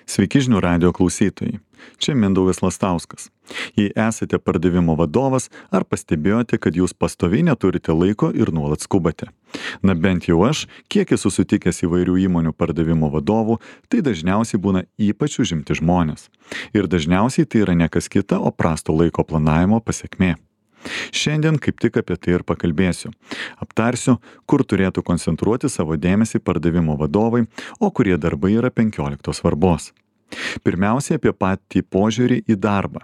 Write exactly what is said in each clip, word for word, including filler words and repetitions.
Sveiki žinių radijo klausytojai. Čia Mindaugas Lastauskas. Jei esate pardavimo vadovas, ar pastebėjote, kad jūs pastoviai neturite laiko ir nuolat skubate? Na bent jau aš, kiek esu sutikęs įvairių įmonių pardavimo vadovų, tai dažniausiai būna ypač užimti žmonės. Ir dažniausiai tai yra ne kas kita, o prasto laiko planavimo pasekmė. Šiandien kaip tik apie tai ir pakalbėsiu. Aptarsiu, kur turėtų koncentruoti savo dėmesį pardavimo vadovai, o kurie darbai yra penkioliktos svarbos. Pirmiausia, apie patį požiūrį į darbą.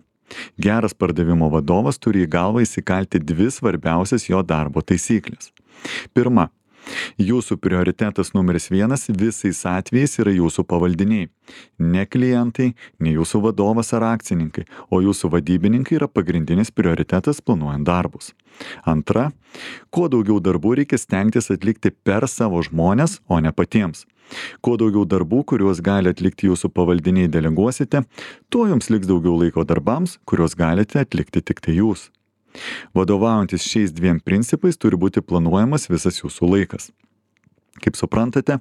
Geras pardavimo vadovas turi į galvą įsikalti dvi svarbiausias jo darbo taisyklės. Pirma, jūsų prioritetas numeris vienas visais atvejais yra jūsų pavaldiniai. Ne klientai, ne jūsų vadovas ar akcininkai, o jūsų vadybininkai yra pagrindinis prioritetas planuojant darbus. Antra, kuo daugiau darbų reikia stengtis atlikti per savo žmones, o ne patiems. Kuo daugiau darbų, kuriuos gali atlikti jūsų pavaldiniai deleguosite, tuo jums liks daugiau laiko darbams, kuriuos galite atlikti tik tai jūs. Vadovaujantis šiais dviem principais turi būti planuojamas visas jūsų laikas. Kaip suprantate,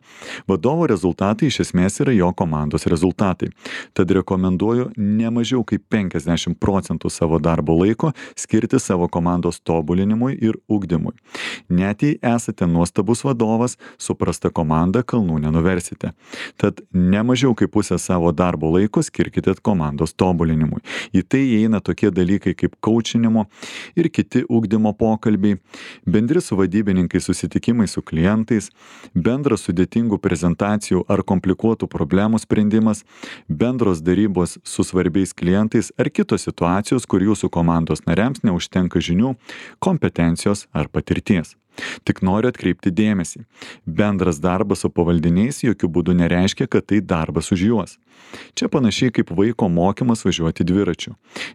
vadovo rezultatai iš esmės yra jo komandos rezultatai. Tad rekomenduoju ne mažiau kaip penkiasdešimt procentų savo darbo laiko skirti savo komandos tobulinimui ir ugdymui. Net jei esate nuostabus vadovas, su prasta komanda kalnų nenuversite. Tad ne mažiau kaip pusę savo darbo laiko skirkite komandos tobulinimui. Į tai įeina tokie dalykai kaip kaučinimo ir kiti ugdymo pokalbiai, bendri su vadybininkais susitikimai su klientais, bendras sudėtingų prezentacijų ar komplikuotų problemų sprendimas, bendros darybos su svarbiais klientais ar kitos situacijos, kur jūsų komandos nariams neužtenka žinių, kompetencijos ar patirties. Tik noriu atkreipti dėmesį. Bendras darbas su pavaldiniais jokių būdų nereiškia, kad tai darbas už juos. Čia panašiai kaip vaiko mokymas važiuoti dviračiu.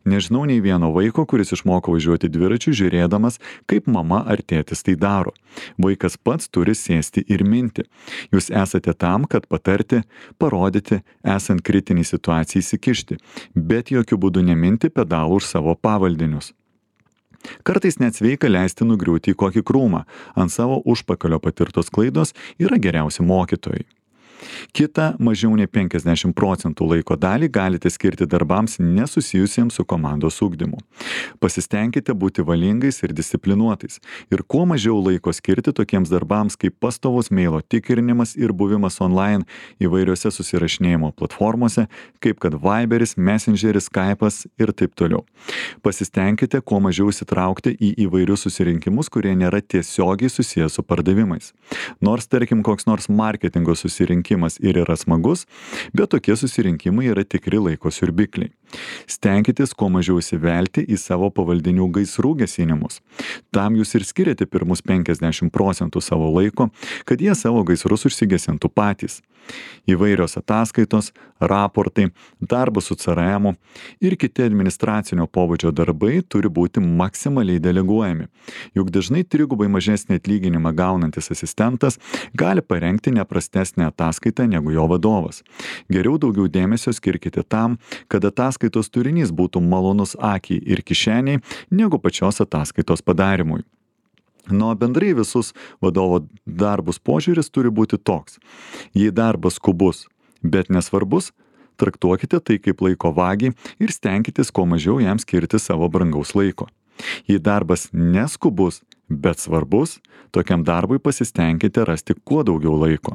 Nežinau nei vieno vaiko, kuris išmoko važiuoti dviračiu, žiūrėdamas, kaip mama ar tėtis tai daro. Vaikas pats turi sėsti ir minti. Jūs esate tam, kad patarti, parodyti, esant kritiniai situacijai įsikišti, bet jokių būdų neminti pedalų už savo pavaldinius. Kartais net sveika leisti nugriūti į kokį krūmą. Ant savo užpakalio patirtos klaidos yra geriausi mokytojai. Kita mažiau nei penkiasdešimt procentų laiko dalį galite skirti darbams nesusijusiems su komandos ugdymu. Pasistengkite būti valingais ir disciplinuotais ir kuo mažiau laiko skirti tokiems darbams kaip pastovus mailo tikrinimas ir buvimas online įvairiose susirašinėjimo platformose, kaip kad Viberis, Messengeris, Skype'as ir taip toliau. Pasistengkite kuo mažiau įsitraukti į įvairius susirinkimus, kurie nėra tiesiogiai susijęs su pardavimais. Nors tarkim koks nors marketingo susirinkimas ir yra smagus, bet tokie susirinkimai yra tikri laiko siurbikliai. Stenkitės kuo mažiau įsivelti į savo pavaldinių gaisrų gesinimus. Tam jūs ir skiriate pirmus penkiasdešimt procentų savo laiko, kad jie savo gaisrus užsigesintų patys. Įvairios ataskaitos, raportai, darbas su C R M ir kiti administracinio pobūdžio darbai turi būti maksimaliai deleguojami. Juk dažnai trigubai mažesnį atlyginimą gaunantis asistentas gali parengti neprastesnę ataskaitą negu jo vadovas. Geriau daugiau dėmesio skirkite tam, kad ataskaitos turinys būtų malonus akiai ir kišeniai, negu pačios ataskaitos padarimui. Nuo bendrai visus vadovo darbus požiūris turi būti toks. Jei darbas skubus, bet nesvarbus, traktuokite tai kaip laiko vagį ir stenkitės kuo mažiau jam skirti savo brangaus laiko. Jei darbas neskubus, bet svarbus, tokiam darbui pasistengkite rasti kuo daugiau laiko.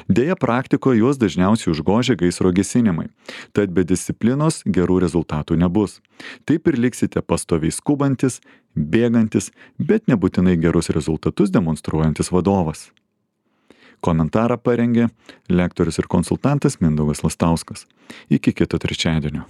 Deja, praktikoje juos dažniausiai užgožia gaisro gesinimai, tad be disciplinos gerų rezultatų nebus. Taip ir liksite pastoviai skubantis, bėgantis, bet nebūtinai gerus rezultatus demonstruojantis vadovas. Komentarą parengė lektorius ir konsultantas Mindaugas Lastauskas. Iki kito trečiadienio.